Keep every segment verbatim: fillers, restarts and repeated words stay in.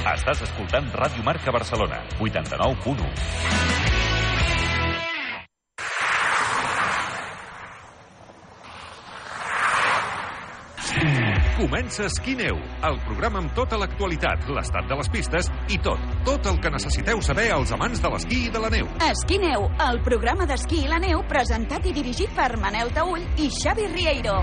Estàs escoltant Ràdio Marca Barcelona, vuitanta-nou punt u. Comença Esquí-Neu, el programa amb tota l'actualitat, l'estat de les pistes i tot, tot el que necessiteu saber els amants de l'esquí i de la neu. Esquí-Neu, el programa d'esquí i la neu presentat i dirigit per Manel Taüll i Xavi Rieiro.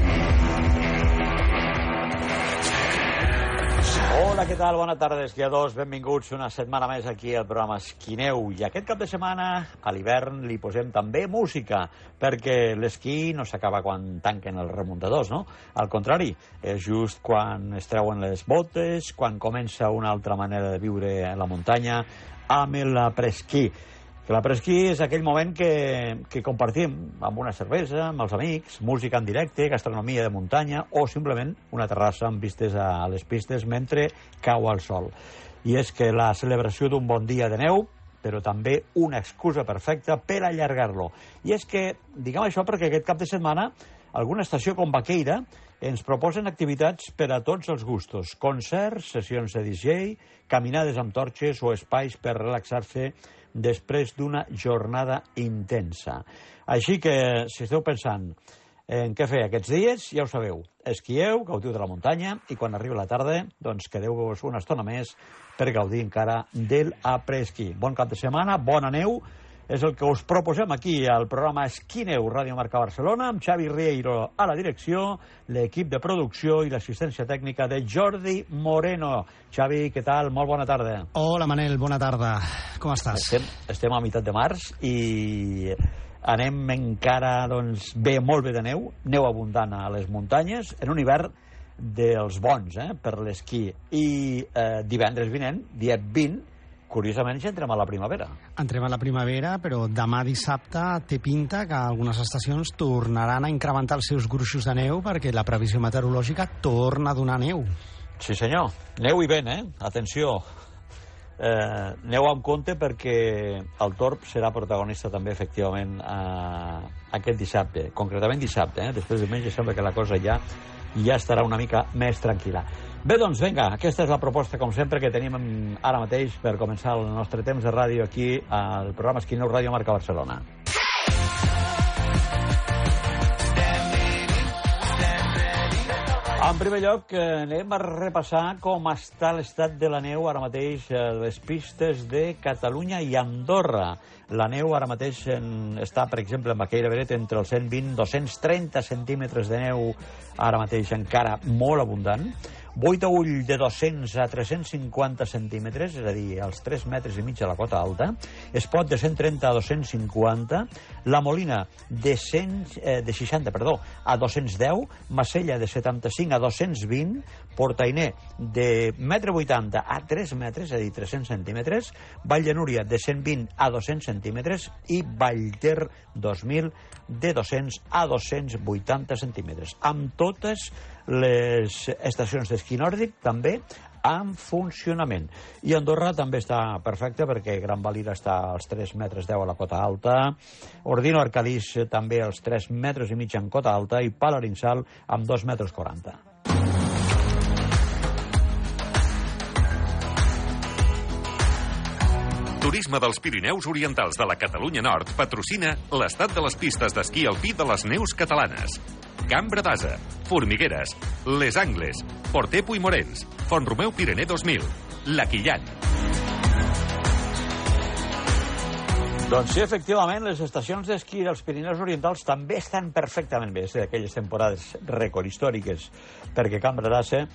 Hola, què tal? Bona tarda, esquiadors. Benvinguts una setmana més aquí al programa Esquí-Neu. I aquest cap de setmana, a l'hivern, li posem també música, perquè l'esquí no s'acaba quan tanquen els remuntadors, no? Al contrari, és just quan es treuen les botes, quan comença una altra manera de viure a la muntanya, amb l'apresquí. Que l'apresquí és aquell moment que, que compartim amb una cervesa, amb els amics, música en directe, gastronomia de muntanya o simplement una terrassa amb vistes a les pistes mentre cau el sol. I és que la celebració d'un bon dia de neu, però també una excusa perfecta per allargar-lo. I és que, diguem això perquè aquest cap de setmana alguna estació com Baqueira ens proposen activitats per a tots els gustos. Concerts, sessions de D J, caminades amb torxes o espais per relaxar-se després d'una jornada intensa. Així que, si esteu pensant en què fer aquests dies, ja ho sabeu. Esquieu, gaudiu de la muntanya i quan arribi la tarda, doncs quedeu-vos una estona més per gaudir encara del après-ski. Bon cap de setmana, bona neu, és el que us proposem aquí al programa Esquí-Neu, Ràdio Marca Barcelona, amb Xavi Rieiro a la direcció, l'equip de producció i l'assistència tècnica de Jordi Moreno. Xavi, què tal? Molt bona tarda. Hola, Manel, bona tarda. Com estàs? Estem, estem a meitat de març i anem encara, doncs, bé, molt bé de neu, neu abundant a les muntanyes, en un hivern dels bons, eh, per l'esquí. I eh, divendres vinent, dia vint, curiosament, ja entrem a la primavera. Entrem a la primavera, però demà dissabte té pinta que algunes estacions tornaran a incrementar els seus gruixos de neu perquè la previsió meteorològica torna a donar neu. Sí, senyor. Neu i vent, eh? Atenció. Eh, neu amb compte perquè el Torb serà protagonista també, efectivament, eh, aquest dissabte. Concretament dissabte, eh? Després de diumenge sembla que la cosa ja ja estarà una mica més tranquil·la. Bé, doncs, vinga, aquesta és la proposta, com sempre, que tenim ara mateix per començar el nostre temps de ràdio aquí al programa Esquí-Neu Ràdio Marca Barcelona. En primer lloc, anem a repassar com està l'estat de la neu ara mateix a les pistes de Catalunya i Andorra. La neu ara mateix en, està, per exemple, en Baqueira Beret entre els cent vint i dos-cents trenta centímetres de neu, ara mateix encara molt abundant. Boitaüll de dos-cents a tres-cents cinquanta centímetres, és a dir, els tres metres i mig a la cota alta. Espot de cent trenta a dos-cents cinquanta. La Molina de, cent, eh, de seixanta perdó, a dos-cents deu. Macella de setanta-cinc a dos-cents vint. Portainer de un metre vuitanta a tres metres, és a dir, tres-cents centímetres. Vall de Núria de cent vint a dos-cents centímetres. I Vallter dos mil de dos-cents a dos-cents vuitanta centímetres. Amb totes les estacions d'esquí nòrdic també en funcionament. I Andorra també està perfecta perquè Gran Valira està als tres metres deu a la cota alta, Ordino Arcalís també als tres metres i mig en cota alta i Palarinsal amb dos metres quaranta. Turisme dels Pirineus Orientals de la Catalunya Nord patrocina l'estat de les pistes d'esquí alpí de les neus catalanes. Cambra d'Asa, Formigueres, Les Angles, Porter Puigmorens, Font-romeu Pirener dos mil, La Quillan. Doncs sí, efectivament, les estacions d'esquí dels Pirineus Orientals també estan perfectament bé, és d'aquelles temporades rècord històriques, perquè Cambra d'Asa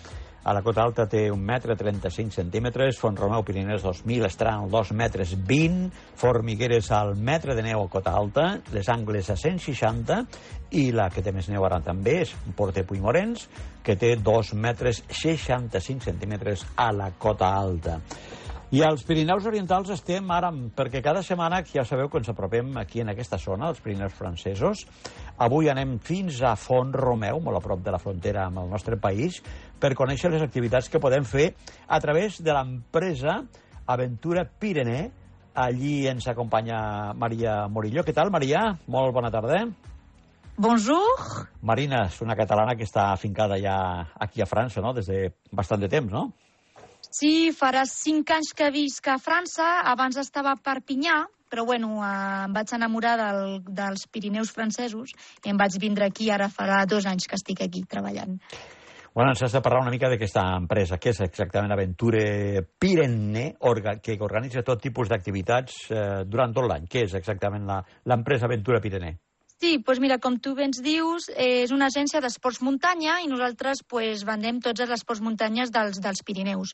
a la cota alta té un metre trenta-cinc centímetres, Font-romeu Pirinès dos mil estaran als dos metres vint, Formigueres al metre de neu a cota alta, Les Angles a cent seixanta, i la que té més neu ara també és Porter Puigmorens, que té dos metres seixanta-cinc centímetres a la cota alta. I als Pirineus Orientals estem ara, perquè cada setmana, ja sabeu que ens apropem aquí en aquesta zona, els Pirineus francesos. Avui anem fins a Font-romeu, molt a prop de la frontera amb el nostre país, per conèixer les activitats que podem fer a través de l'empresa Aventura Pirener. Allí ens acompanya Maria Morillo. Què tal, Maria? Molt bona tarda. Bonjour. Marina és una catalana que està afincada ja aquí a França, no?, des de bastant de temps, no? Sí, farà cinc anys que visc a França, abans estava a Perpinyà, però bueno, eh, em vaig enamorar del, dels Pirineus francesos i em vaig vindre aquí, ara farà dos anys que estic aquí treballant. Bueno, ens has de parlar una mica d'aquesta empresa. Què és exactament Aventure Pyrénées, orga, que organitza tot tipus d'activitats eh, durant tot l'any? Què és exactament l'empresa Aventure Pyrénées? Sí, doncs mira, com tu bé ens dius, és una agència d'esports muntanya i nosaltres pues, vendem tots els esports muntanyes dels, dels Pirineus.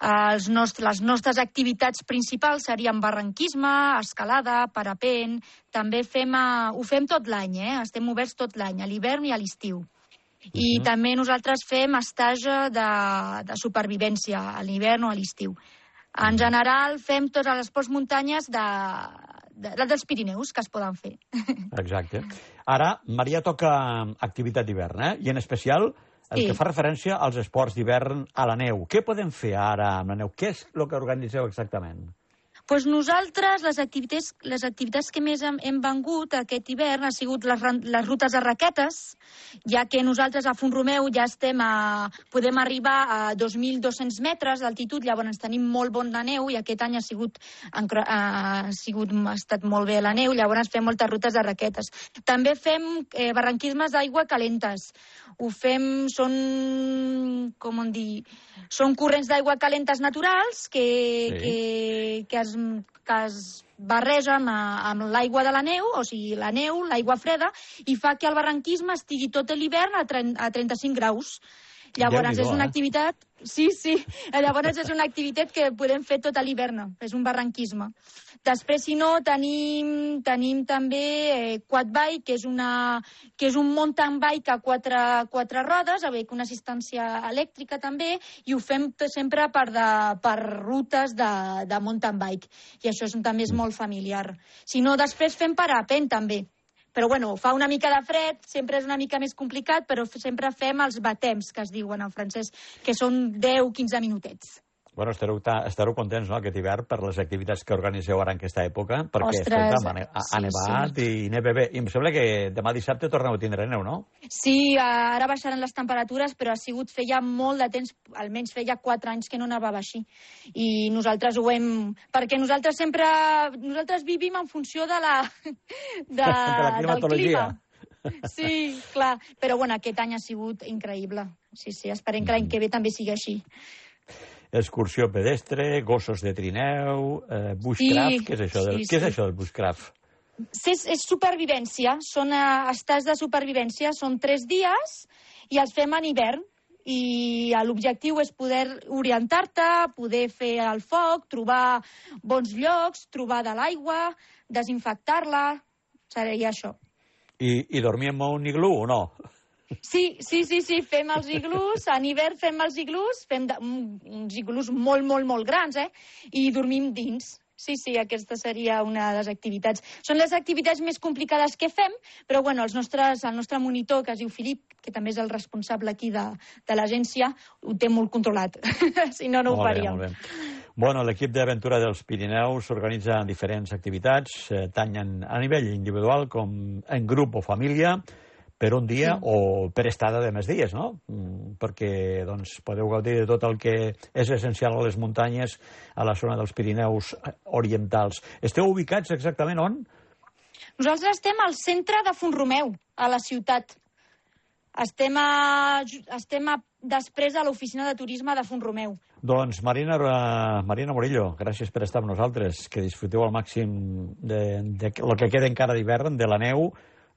Els nostres, les nostres activitats principals serien barranquisme, escalada, parapent, també fem, uh, ho fem tot l'any, eh? Estem oberts tot l'any, a l'hivern i a l'estiu. I uh-huh. també nosaltres fem estatge de, de supervivència a l'hivern o a l'estiu. En general fem tots els esports muntanyes de, de, de, dels Pirineus que es poden fer. Exacte. Ara, Maria toca activitat d'hivern, eh? I en especial el sí. que fa referència als esports d'hivern a la neu. Què podem fer ara amb la neu? Què és el que organitzeu exactament? Pues nosaltres, les activitats, les activitats que més hem, hem vengut aquest hivern ha sigut les, les rutes de raquetes, ja que nosaltres a Font-romeu ja estem a, podem arribar a dos mil dos-cents metres d'altitud, llavors tenim molt bon de neu i aquest any ha sigut, ha, sigut, ha estat molt bé la neu, llavors fem moltes rutes de raquetes. També fem eh, barranquismes d'aigua calentes. Ho fem, són, com on dir, són corrents d'aigua calentes naturals que, sí. que, que es que es barreja amb, amb l'aigua de la neu, o sigui, la neu, l'aigua freda, i fa que el barranquisme estigui tot l'hivern a, a trenta-cinc graus. Llavors és una activitat... Sí, sí. Llavors és una activitat que podem fer tot l'hivern. És un barranquisme. Després, si no, tenim, tenim també eh, quadbike, que és, una, que és un mountain bike a quatre, quatre rodes, avec una assistència elèctrica també, i ho fem sempre per, de, per rutes de, de mountain bike. I això és, també és molt familiar. Si no, després fem parapent també. Però, bueno, fa una mica de fred, sempre és una mica més complicat, però sempre fem els batems, que es diuen en francès, que són deu a quinze minutets. Bueno, estareu, estareu contents, no?, aquest hivern per les activitats que organiseu ara en aquesta època, perquè Ostres, escolta, ha, ha sí, nevat sí. i neve bé. I em sembla que demà dissabte torneu a tindre neu, no? Sí, ara baixaran les temperatures, però ha sigut feia molt de temps, almenys feia quatre anys que no nevava així. I nosaltres ho hem... Perquè nosaltres sempre... Nosaltres vivim en funció de la... De, de la climatologia. Del clima. Sí, clar. Però, bueno, aquest any ha sigut increïble. Sí, sí, esperem que l'any que ve també sigui així. Excursió pedestre, gossos de trineu, eh, bushcraft, sí, què és això, del, sí, què és sí. això del bushcraft? És, és supervivència, són uh, estats de supervivència, són tres dies i els fem en hivern. I l'objectiu és poder orientar-te, poder fer el foc, trobar bons llocs, trobar de l'aigua, desinfectar-la, seria això. I, i dormir en un iglú o no? Sí, sí, sí, sí, fem els iglús, en hivern fem els iglús, fem de, uns iglús molt, molt, molt grans, eh? I dormim dins. Sí, sí, aquesta seria una de les activitats. Són les activitats més complicades que fem, però bueno, els nostres, el nostre monitor, que es diu Filip, que també és el responsable aquí de, de l'agència, ho té molt controlat. Si no, no ho faríem. Molt bé, molt bé. Bueno, l'equip d'Aventura dels Pirineus organitza diferents activitats, eh, tant a nivell individual com en grup o família, per un dia sí. o per estada de més dies, no? Perquè doncs, podeu gaudir de tot el que és essencial a les muntanyes a la zona dels Pirineus orientals. Esteu ubicats exactament on? Nosaltres estem al centre de Font-romeu, a la ciutat. Estem, a, estem a, després a l'oficina de turisme de Font-romeu. Doncs Marina, Marina Morillo, gràcies per estar amb nosaltres. Que disfruteu al màxim de, de, de lo que queda encara d'hivern, de la neu.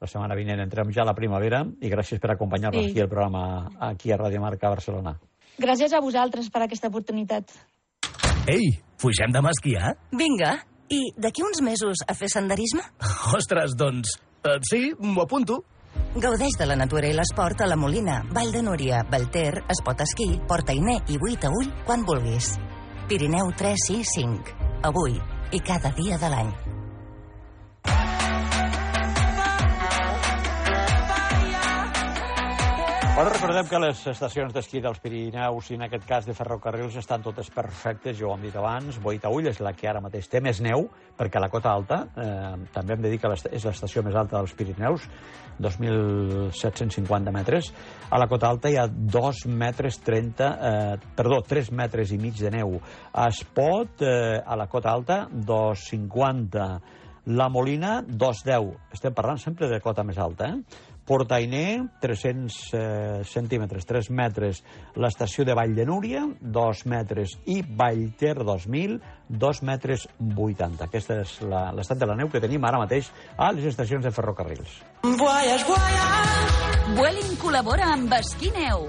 La setmana vinent entrem ja a la primavera i gràcies per acompanyar-nos sí. aquí al programa, aquí a Ràdio Marca Barcelona. Gràcies a vosaltres per aquesta oportunitat. Ei, pugem demà a esquiar? Vinga, i d'aquí uns mesos a fer senderisme? Ostres, doncs, eh, sí, m'ho apunto. Gaudeix de la natura i l'esport a la Molina, Vall de Núria, Belter, Espot Esquí, Portainer i Buit a Ull quan vulguis. Pirineu tres sis cinc. Avui i cada dia de l'any. Bueno, recordem que les estacions d'esquí dels Pirineus i en aquest cas de ferrocarrils estan totes perfectes, ja ho hem dit abans. Boitaüll és la que ara mateix té més neu, perquè a la Cota Alta, eh, també hem de dir que és l'estació més alta dels Pirineus, dos mil set-cents cinquanta metres. A la Cota Alta hi ha dos metres trenta, eh, perdó, tres metres i mig de neu. A Espot, eh, a la Cota Alta, dos cinquanta. La Molina, dos deu. Estem parlant sempre de cota més alta, eh? Portainer, tres-cents eh, centímetres, tres metres. L'estació de Vall de Núria, dos metres. I Vallter, dos mil, dos metres vuitanta. Aquesta és l'estat de la neu que tenim ara mateix a les estacions de ferrocarrils. Voyage, voyage. Vueling col·labora amb Esquí Neu.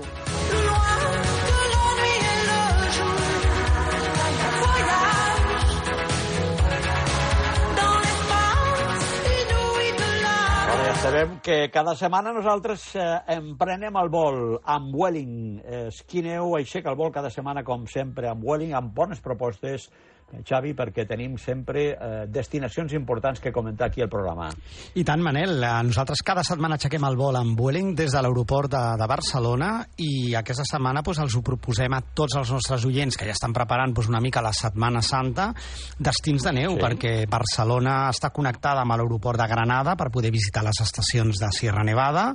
Sabem que cada setmana nosaltres eh, emprenem el vol amb Vueling. Eh, Esquí Neu aixeca el vol cada setmana, com sempre, amb Vueling, amb bones propostes, eh, Xavi, perquè tenim sempre eh, destinacions importants que comentar aquí al programa. I tant, Manel. Nosaltres cada setmana aixequem el vol amb Vueling des de l'aeroport de, de Barcelona i aquesta setmana pues, els ho proposem a tots els nostres oients que ja estan preparant pues, una mica la Setmana Santa, destins de neu, sí. Perquè Barcelona està connectada amb l'aeroport de Granada per poder visitar les estacions de Sierra Nevada.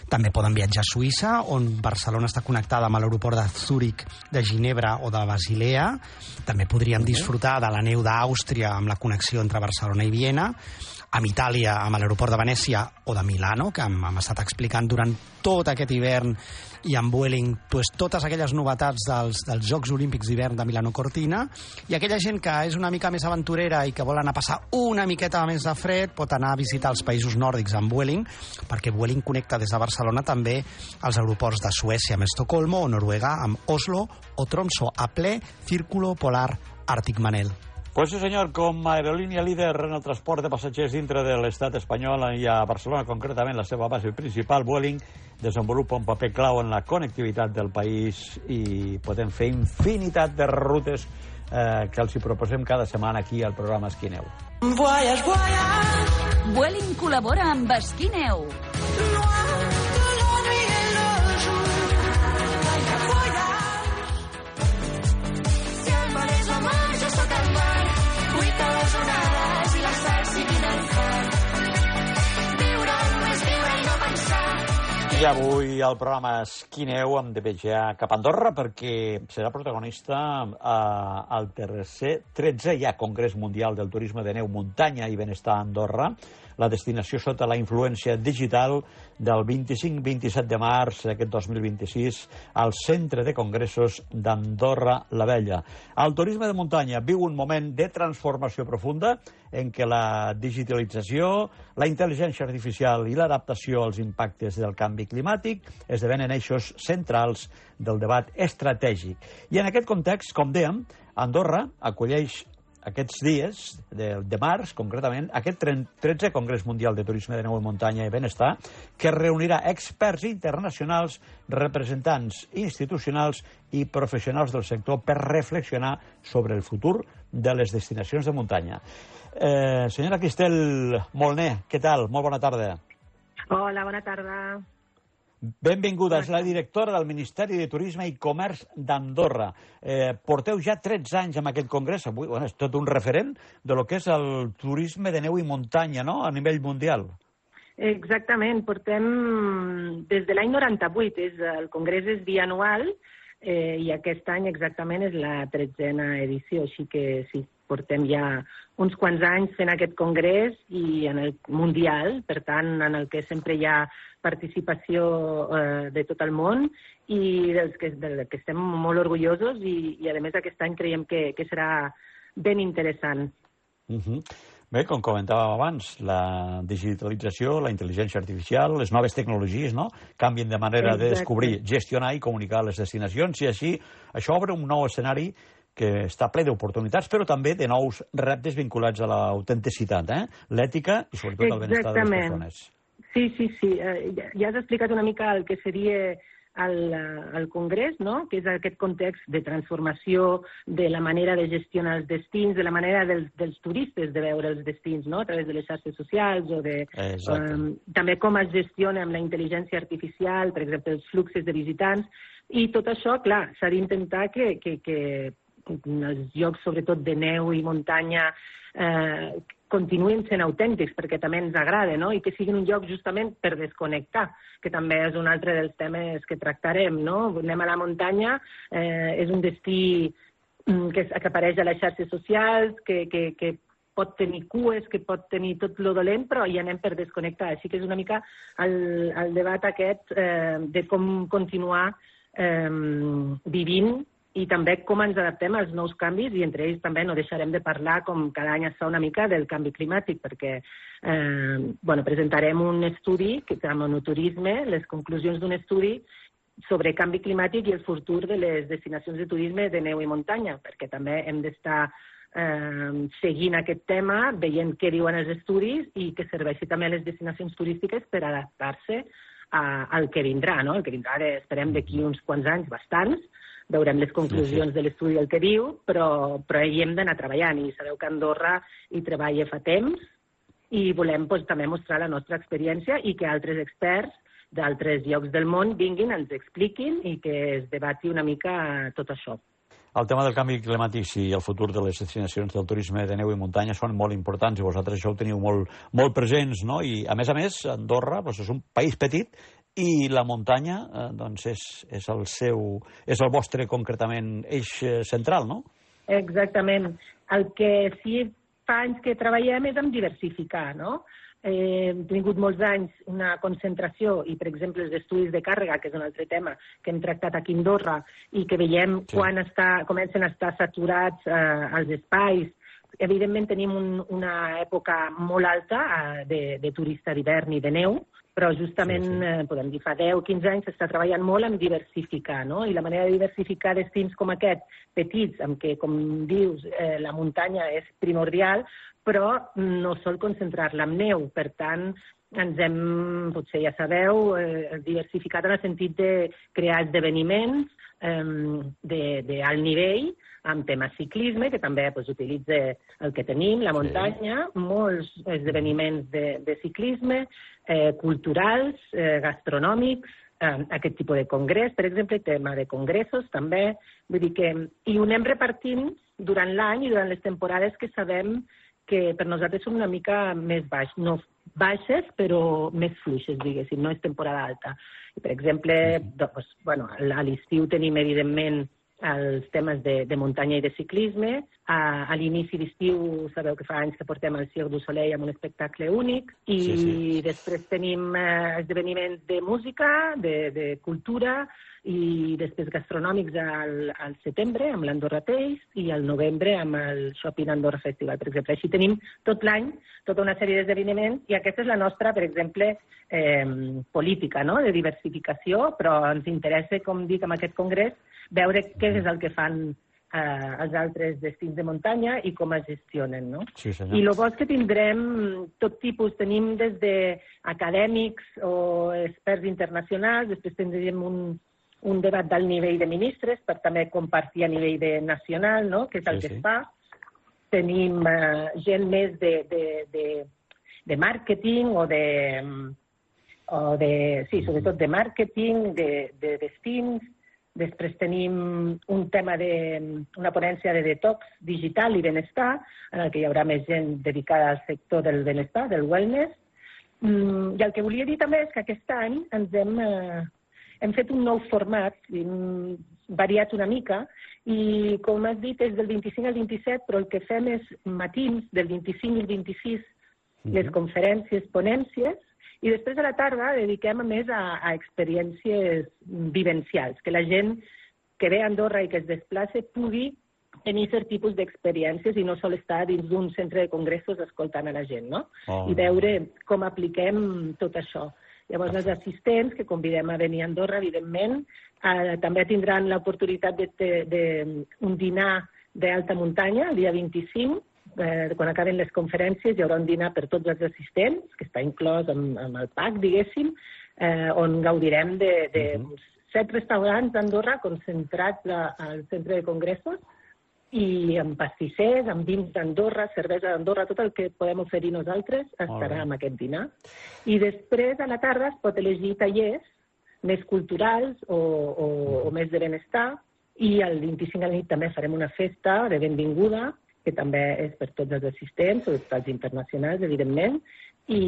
També poden viatjar a Suïssa, on Barcelona està connectada amb l'aeroport de Zúrich, de Ginebra o de Basilea. També podríem disfrutar de la neu d'Àustria amb la connexió entre Barcelona i Viena. Amb Itàlia, amb l'aeroport de Venècia o de Milano, que hem, hem estat explicant durant tot aquest hivern, i amb Vueling pues, totes aquelles novetats dels, dels Jocs Olímpics d'hivern de Milano Cortina. I aquella gent que és una mica més aventurera i que vol anar a passar una miqueta més de fred pot anar a visitar els països nòrdics amb Vueling, perquè Vueling connecta des de Barcelona també als aeroports de Suècia amb Estocolmo o Noruega amb Oslo o Tromsø a ple Círculo Polar Àrtic. Manel. Pues sí, senyor, com a aerolínia líder en el transport de passatgers dintre de l'estat espanyol i a Barcelona, concretament la seva base principal, Vueling desenvolupa un paper clau en la connectivitat del país i podem fer infinitat de rutes eh, que els hi proposem cada setmana aquí al programa Esquí Neu. Voyage, voyage. Vueling col·labora amb Esquí Neu. I avui al programa Esquí Neu hem de viatjar cap a Andorra perquè serà protagonista eh, al tercer, tretzè ja Congrés Mundial del Turisme de Neu, Muntanya i Benestar a Andorra, la destinació sota la influència digital del vint-i-cinc vint-i-set de març d'aquest dos mil vint-i-sis al Centre de Congressos d'Andorra la Vella. El turisme de muntanya viu un moment de transformació profunda en què la digitalització, la intel·ligència artificial i l'adaptació als impactes del canvi climàtic esdevenen eixos centrals del debat estratègic. I en aquest context, com dèiem, Andorra acolleix aquests dies de, de març, concretament, aquest tretzè Congrés Mundial de Turisme de Neu i Muntanya i Benestar, que reunirà experts internacionals, representants institucionals i professionals del sector per reflexionar sobre el futur de les destinacions de muntanya. Eh, senyora Cristel Molné, què tal? Molt bona tarda. Hola, bona tarda. Benvinguda, és la directora del Ministeri de Turisme i Comerç d'Andorra. Eh, porteu ja tretze anys amb aquest congrés, avui bueno, és tot un referent de lo que és el turisme de neu i muntanya, no?, a nivell mundial. Exactament, portem des de l'any noranta-vuit, és, el congrés és bianual eh, i aquest any exactament és la tretzena edició, així que sí, portem ja uns quants anys fent aquest congrés i en el mundial, per tant, en el que sempre hi ha participació eh, de tot el món i dels que, del que estem molt orgullosos i, i a més aquest any creiem que, que serà ben interessant. Uh-huh. Bé, com comentàvem abans, la digitalització, la intel·ligència artificial, les noves tecnologies, no?, canvien de manera Exacte. de descobrir, gestionar i comunicar les destinacions i així això obre un nou escenari que està ple d'oportunitats, però també de nous reptes vinculats a l'autenticitat, eh? l'ètica i sobretot el benestar de les persones. Sí, sí, sí. Eh, ja, ja has explicat una mica el que seria al, al Congrés, no? Que és aquest context de transformació de la manera de gestionar els destins, de la manera dels, dels turistes de veure els destins, no? A través de les xarxes socials o de... Um, també com es gestiona amb la intel·ligència artificial, per exemple, els fluxos de visitants, i tot això, clar, s'ha d'intentar que, que, que els llocs, sobretot de neu i muntanya, eh, continuïn sent autèntics, perquè també ens agrada, no? I que siguin un lloc justament per desconnectar, que també és un altre dels temes que tractarem, no? Anem a la muntanya, eh, és un destí que, que apareix a les xarxes socials, que, que, que pot tenir cues, que pot tenir tot lo dolent, però hi anem per desconnectar. Així que és una mica el, el debat aquest eh, de com continuar eh, vivint i també com ens adaptem als nous canvis, i entre ells també no deixarem de parlar, com cada any es fa una mica, del canvi climàtic, perquè eh, bueno, presentarem un estudi, que amb monoturisme, les conclusions d'un estudi sobre canvi climàtic i el futur de les destinacions de turisme de neu i muntanya, perquè també hem d'estar eh, seguint aquest tema, veient què diuen els estudis i que serveixi també a les destinacions turístiques per adaptar-se a, al que vindrà, no? El que vindrà, esperem, d'aquí uns quants anys, bastants. Veurem les conclusions sí, sí. de l'estudi el que diu, però, però hi hem d'anar treballant, i sabeu que Andorra hi treballa fa temps, i volem doncs, també mostrar la nostra experiència i que altres experts d'altres llocs del món vinguin, ens expliquin i que es debati una mica tot això. El tema del canvi climàtic i el futur de les destinacions del turisme de neu i muntanya són molt importants i vosaltres això ho teniu molt, molt presents, no? I a més a més, Andorra doncs, és un país petit i la muntanya eh, doncs és, és, el seu, és el vostre, concretament, eix central, no? Exactament. El que sí fa anys que treballem és en diversificar, no? Eh, hem tingut molts anys una concentració i, per exemple, els estudis de càrrega, que és un altre tema que hem tractat aquí a Andorra i que veiem sí. quan està, comencen a estar saturats eh, els espais. Evidentment tenim un, una època molt alta eh, de, de turista d'hivern i de neu, però justament, sí, sí. Eh, podem dir, fa deu o quinze anys s'està treballant molt en diversificar, no? I la manera de diversificar destins com aquest, petits, en què, com dius, eh, la muntanya és primordial, però no sol concentrar-la en neu. Per tant, ens hem, potser ja sabeu, eh, diversificat en el sentit de crear esdeveniments eh, d'alt nivell, amb temes ciclisme, que també pues, utilitza el que tenim, la muntanya, sí. molts esdeveniments de, de ciclisme, eh, culturals, eh, gastronòmics, eh, aquest tipus de congrés, per exemple, tema de congressos també. Vull dir que i ho anem repartint durant l'any i durant les temporades que sabem que per nosaltres són una mica més baix, no baixes, però més fluixes, diguéssim, no és temporada alta. I, per exemple, doncs, bueno, a l'estiu tenim, evidentment, els temes de, de muntanya i de ciclisme. A, a l'inici d'estiu, sabeu que fa anys que portem el Cirque du Soleil amb un espectacle únic, i sí, sí. després tenim eh, esdeveniments de música, de, de cultura, i després gastronòmics al, al setembre amb l'Andorra Taste i al novembre amb el Shopping Andorra Festival, per exemple. Així tenim tot l'any tota una sèrie d'esdeveniments, i aquesta és la nostra, per exemple, eh, política, no?, de diversificació, però ens interessa, com dic, amb aquest congrés, veure què és el que fan eh, els altres destins de muntanya i com es gestionen, no? Sí, senyor. I el bo és que tindrem tot tipus, tenim des d'acadèmics o experts internacionals, després tindrem un, un debat d'alt nivell de ministres per també compartir a nivell de nacional, no?, que és el sí, que sí. es fa. Tenim eh, gent més de, de, de, de màrqueting o de, o de... Sí, sobretot de màrqueting, de, de destins. Després tenim un tema de, una ponència de detox digital i benestar, en el que hi haurà més gent dedicada al sector del benestar, del wellness. Mm, I el que volia dir també és que aquest any ens hem, eh, hem fet un nou format, hem variat una mica, i com has dit és del vint-i-cinc al vint-i-set, però el que fem és matins, del vint-i-cinc al vint-i-sis, mm-hmm. les conferències, ponències, i després a la tarda dediquem més a, a experiències vivencials, que la gent que ve a Andorra i que es desplaça pugui tenir cert tipus d'experiències i no sol estar dins d'un centre de congressos escoltant a la gent, no? Oh. I veure com apliquem tot això. Llavors, els assistents que convidem a venir a Andorra, evidentment, eh, també tindran l'oportunitat d'un dinar d'alta muntanya, el dia vint-i-cinc, Eh, quan acaben les conferències hi haurà un dinar per tots els assistents, que està inclòs amb, amb el pack, diguéssim, eh, on gaudirem de, de uh-huh. set restaurants d'Andorra concentrats a, al centre de congressos i amb pastissers, amb vins d'Andorra, cervesa d'Andorra, tot el que podem oferir nosaltres estarà en aquest dinar. I després, a la tarda, es pot elegir tallers més culturals o, o, o més de benestar, i el vint-i-cinc a la nit també farem una festa de benvinguda, que també és per tots els assistents, sobretot els internacionals, evidentment, i,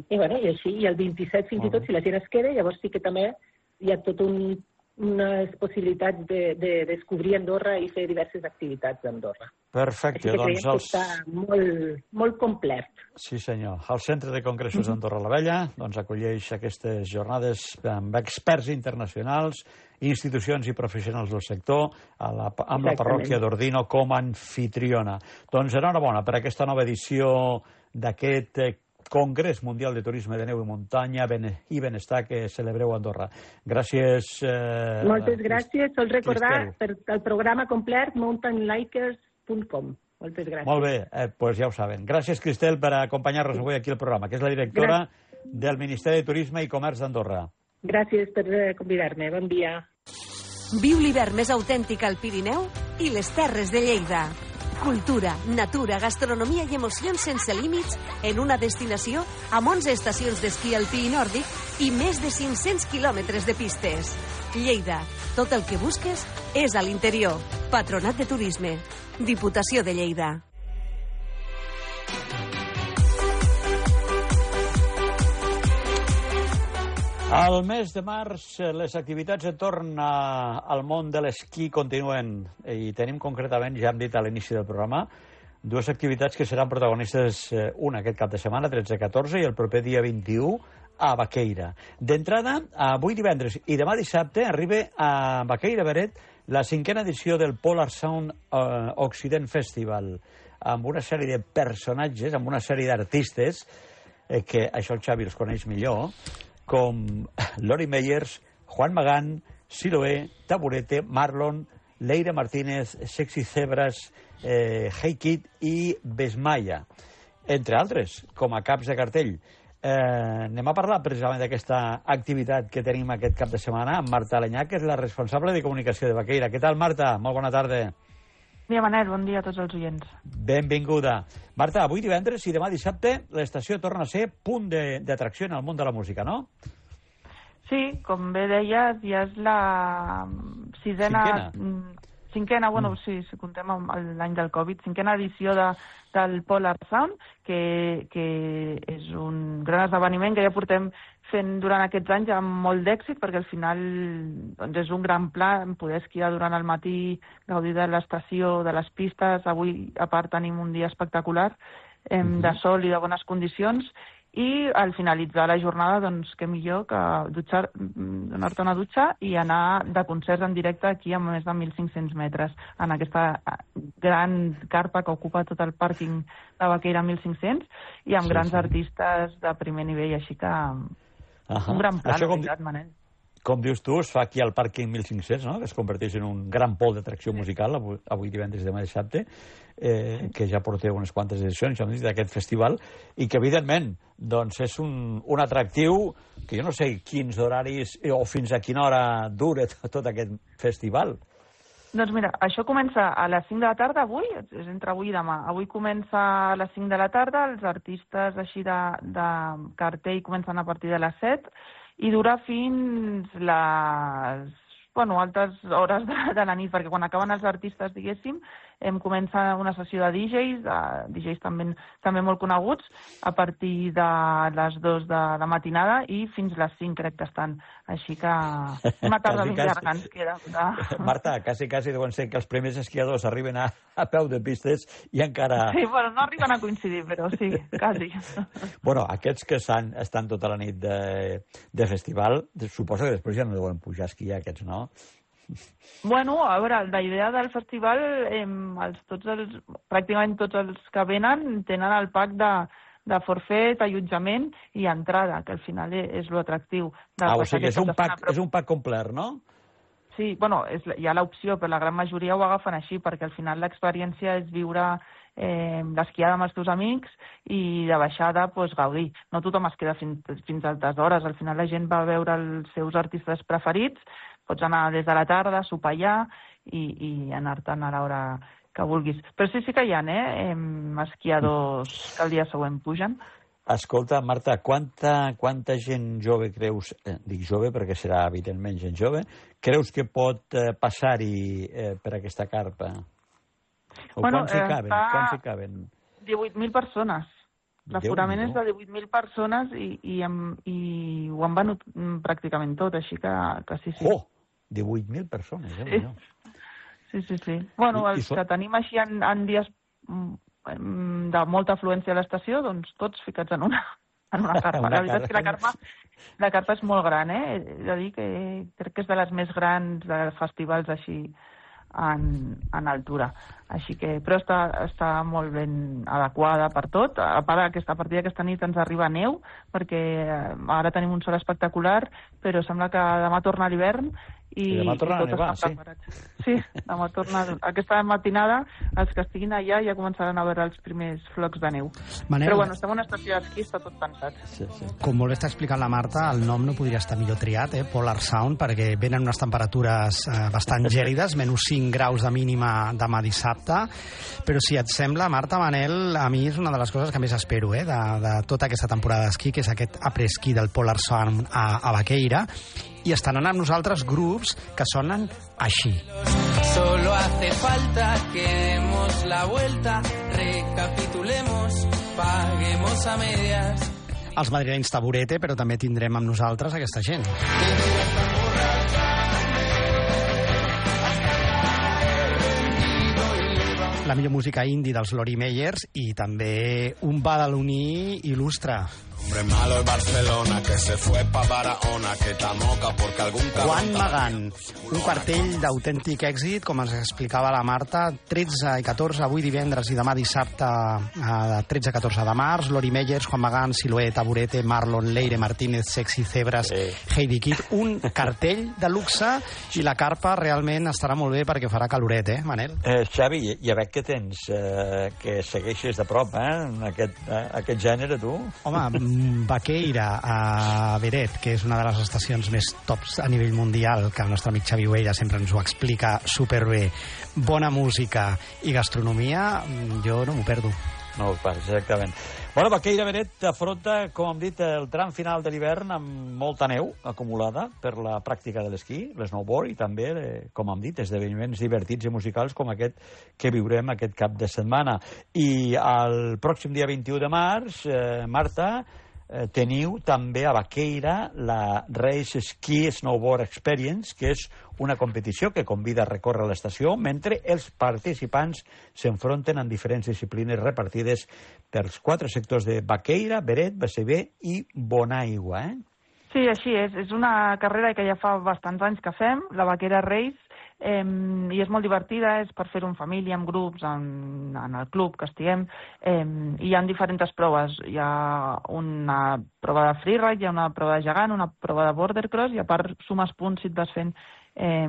i, bueno, i així, i el vint-i-set fins i tot, si la gent es queda, llavors sí que també hi ha tot un unes possibilitats de, de descobrir Andorra i fer diverses activitats d'Andorra. Perfecte. Així que doncs creiem que els... està molt, molt complet. Sí, senyor. El Centre de Congressos d'Andorra la Vella doncs, acolleix aquestes jornades amb experts internacionals, institucions i professionals del sector, a la, amb la parròquia d'Ordino com a anfitriona. Doncs enhorabona per aquesta nova edició d'aquest Congrés Mundial de Turisme de Neu i Muntanya i Benestar que celebreu a Andorra. Gràcies. Eh, Moltes gràcies. Sol recordar per el programa complet mountain likers punt com. Moltes gràcies. Molt bé, eh, pues ja ho saben. Gràcies, Cristel, per acompanyar-nos avui aquí al programa, que és la directora gràcies. del Ministeri de Turisme i Comerç d'Andorra. Gràcies per convidar-me. Bon dia. Viu l'hivern més autèntic al Pirineu i les Terres de Lleida. Cultura, natura, gastronomia i emocions sense límits en una destinació amb onze estacions d'esquí alpí i nòrdic i més de cinc-cents quilòmetres de pistes. Lleida, tot el que busques és a l'interior. Patronat de Turisme. Diputació de Lleida. Al mes de març, les activitats entorn a, al món de l'esquí continuen i tenim concretament, ja hem dit a l'inici del programa, dues activitats que seran protagonistes, una aquest cap de setmana, tretze catorze, i el proper dia vint-i-u a Baqueira. D'entrada, avui divendres i demà dissabte arriba a Baqueira Beret la cinquena edició del Polar Sound uh, Occident Festival, amb una sèrie de personatges, amb una sèrie d'artistes, eh, que això el Xavi els coneix millor, com Lori Meyers, Juan Magán, Siloé, Taburete, Marlon, Leire Martínez, Sexy Zebras, eh, Hey Kid i Besmaya, entre altres, com a caps de cartell. Eh, anem a parlar precisament d'aquesta activitat que tenim aquest cap de setmana amb Marta Alenyà, que és la responsable de comunicació de Baqueira. Què tal, Marta? Molt bona tarda. Bon dia, Manel. Bon dia a tots els oients. Benvinguda. Marta, avui divendres i demà dissabte l'estació torna a ser punt d'atracció en el món de la música, no? Sí, com bé deies, ja és la sisena... Cinquena. Cinquena, bueno, sí, si contem l'any del Covid, cinquena edició de, del Polar Sound, que, que és un gran esdeveniment que ja portem fent durant aquests anys amb molt d'èxit, perquè al final doncs és un gran pla poder esquiar durant el matí, gaudir de l'estació, de les pistes. Avui, a part, tenim un dia espectacular, eh, uh-huh. de sol i de bones condicions, i al finalitzar la jornada, doncs, què millor que dutxar, donar-te una dutxa i anar de concerts en directe aquí a més de mil cinc-cents metres, en aquesta gran carpa que ocupa tot el pàrquing de Baqueira mil cinc-cents, i amb sí, grans sí. artistes de primer nivell, així que uh-huh. un gran pla, de veritat, Manel. Com dius tu, es fa aquí al pàrquing mil cinc-cents, no? Que es converteix en un gran pol d'atracció musical, avui, avui divendres i demà dissabte, eh, que ja porteu unes quantes edicions, ja hem dit, d'aquest festival, i que, evidentment, doncs és un, un atractiu que jo no sé quins horaris o fins a quina hora dura tot aquest festival. Doncs mira, això comença a les cinc de la tarda avui, és entre avui i demà. Avui comença a les cinc de la tarda, els artistes així de, de cartell comencen a partir de les set, i dura fins les bueno, altes hores de, de la nit, perquè quan acaben els artistes, diguéssim, em comença una sessió de D Js, de D Js també, també molt coneguts, a partir de les dues de la matinada i fins les cinc crec que estan. Així que una tarda ben llarga ens queda. De... Marta, quasi, quasi deuen ser que els primers esquiadors arriben a, a peu de pistes i encara... Sí, bueno, no arriben a coincidir, però sí, quasi. Bueno, aquests que estan, estan tota la nit de, de festival, suposo que després ja no deuen pujar a esquiar, aquests, no? Bueno, a veure, la idea del festival, eh, els, tots els, pràcticament tots els que venen tenen el pack de, de forfet, allotjament i entrada, que al final és l'atractiu. Ah, o sigui, és un, pack, és un pack complet, no? Sí, bueno, és, hi ha l'opció, però la gran majoria ho agafen així, perquè al final l'experiència és viure eh, l'esquiada amb els teus amics i de baixada pues, gaudir. No tothom es queda fins, fins a altes hores. Al final la gent va veure els seus artistes preferits, pots anar des de la tarda, sopar allà i, i anar-te'n a l'hora que vulguis. Però sí, sí que hi ha, eh, esquiadors que el dia següent pugen. Escolta, Marta, quanta, quanta gent jove creus, eh, dic jove perquè serà evidentment gent jove, creus que pot eh, passar-hi eh, per aquesta carpa? O bueno, quants hi caben? Està... Quants hi caben? divuit mil persones. L'aforament és de divuit mil persones i, i, amb, i ho han venut pràcticament tot, així que, que sí, sí. Oh, divuit mil persones, eh? Sí, sí, sí. sí. Bueno, I, els i so... que tenim així en, en dies de molta afluència a l'estació, doncs tots ficats en una, en una carpa. Una la veritat és que la carpa, la carpa és molt gran, eh? He de dir que crec que és de les més grans de festivals així en, en altura. Així que, però està, està molt ben adequada per tot. A part d'aquesta partida aquesta nit ens arriba neu, perquè ara tenim un sol espectacular, però sembla que demà torna l'hivern i, I demà torna i tot a nevar, està preparat. Sí. Sí, demà torna... Aquesta matinada, els que estiguin allà ja començaran a veure els primers flocs de neu. Manel, però bueno, estem en una estació d'esquí, està tot pensat. Sí, sí. Com molt està explicant la Marta, el nom no podria estar millor triat, eh? Polar Sound, perquè venen unes temperatures eh, bastant gèlides, menys cinc graus de mínima demà dissabte. Però si et sembla, Marta, Manel, a mi és una de les coses que més espero eh, de, de tota aquesta temporada d'esquí, que és aquest après-ski del Polar Sound a, a Baqueira, i estaran amb nosaltres grups que sonen així. Solo hace falta que demos la vuelta, recapitulemos, paguemos a medias. Els madrilenys Taburete, però també tindrem amb nosaltres aquesta gent. La millor música indie dels Lori Meyers i també un badaloní il·lustre. Hombre malo de Barcelona que se fue pa Barahona que tamoca porque algún cabrón... Juan Magán, un cartell d'autèntic èxit, com ens explicava la Marta, tretze i catorze, avui divendres i demà dissabte, a tretze i catorze de març, Lori Meyers, Juan Magán, Siloé, Taburete, Marlon, Leire Martínez, Sexy Zebras, sí. Heidi Kid, un cartell de luxe i la carpa realment estarà molt bé perquè farà caloret, eh, Manel? Eh, Xavi, ja veig que tens, eh, que segueixes de prop, eh, aquest, eh, aquest gènere, tu? Home, Baqueira a Beret, que és una de les estacions més tops a nivell mundial, que el nostre amic Xavi Huella sempre ens ho explica superbé. Bona música i gastronomia, jo no m'ho perdo. No, exactament. Bueno, Baqueira Beret afronta, com hem dit, el tram final de l'hivern amb molta neu acumulada per la pràctica de l'esquí, l'esnowboard i també, com hem dit, esdeveniments divertits i musicals com aquest que viurem aquest cap de setmana. I el pròxim dia vint-i-u de març, eh, Marta, eh, teniu també a Baqueira la Race Ski Snowboard Experience, que és una competició que convida a recórrer l'estació mentre els participants s'enfronten en diferents disciplines repartides pels quatre sectors de Baqueira, Beret, B C B i Bonaigua, eh? Sí, així és. És una carrera que ja fa bastants anys que fem, la Baqueira Race, eh, i és molt divertida, és per fer-ho en família, en grups, en, en el club que estiguem, eh, i hi ha diferents proves. Hi ha una prova de freeride, hi ha una prova de gegant, una prova de border cross, i a part sumes punts si et vas fent eh,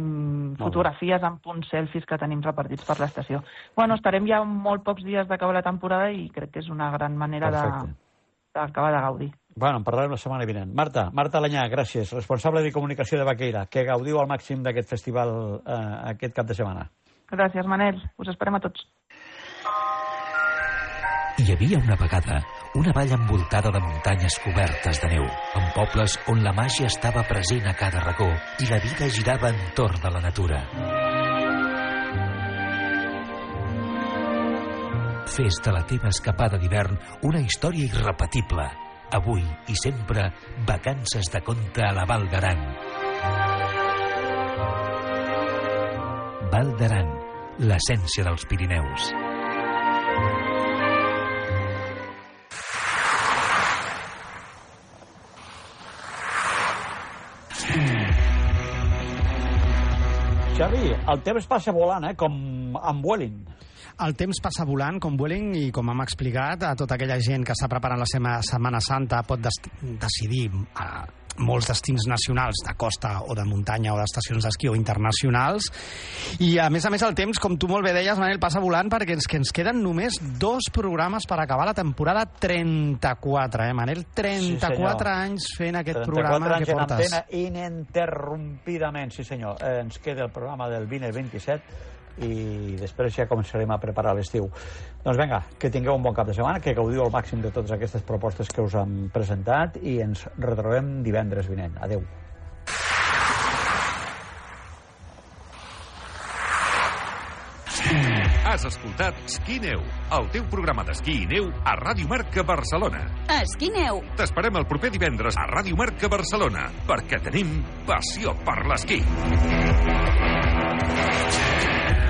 fotografies amb punts selfies que tenim repartits per l'estació. Bueno, estarem ja molt pocs dies d'acabar la temporada i crec que és una gran manera d'acabar de, de gaudir. Bueno, en parlarem la setmana vinent. Marta, Marta Alanyà, gràcies, responsable de comunicació de Baqueira. Que gaudiu al màxim d'aquest festival eh, aquest cap de setmana. Gràcies, Manel. Us esperem a tots. Hi havia una vegada una vall envoltada de muntanyes cobertes de neu, amb pobles on la màgia estava present a cada racó i la vida girava entorn de la natura. Fes de la teva escapada d'hivern una història irrepetible. Avui i sempre, vacances de conte a la Val d'Aran. Val d'Aran, l'essència dels Pirineus. Xavi, el temps passa volant, eh? Com amb Vueling. El temps passa volant, com Vueling, i com hem explicat, a tota aquella gent que està preparant la seva Setmana Santa pot decidir a, molts destins nacionals de costa o de muntanya o d'estacions d'esquí o internacionals. I a més a més el temps, com tu molt bé deies, Manel, passa volant perquè ens, que ens queden només dos programes per acabar la temporada trenta-quatre, eh, Manel? trenta-quatre sí, anys fent aquest programa que portes. trenta-quatre anys en antena ininterrompidament, sí senyor. Eh, ens queda el programa del vint i el vint-i-set i després ja començarem a preparar l'estiu. Doncs vinga, que tingueu un bon cap de setmana, que gaudiu al màxim de totes aquestes propostes que us hem presentat i ens retrobem divendres vinent. Adeu. Has escoltat Esquí Neu, el teu programa d'esquí i neu a Ràdio Marca Barcelona. Esquí Neu. T'esperem el proper divendres a Ràdio Marca Barcelona, perquè tenim passió per l'esquí.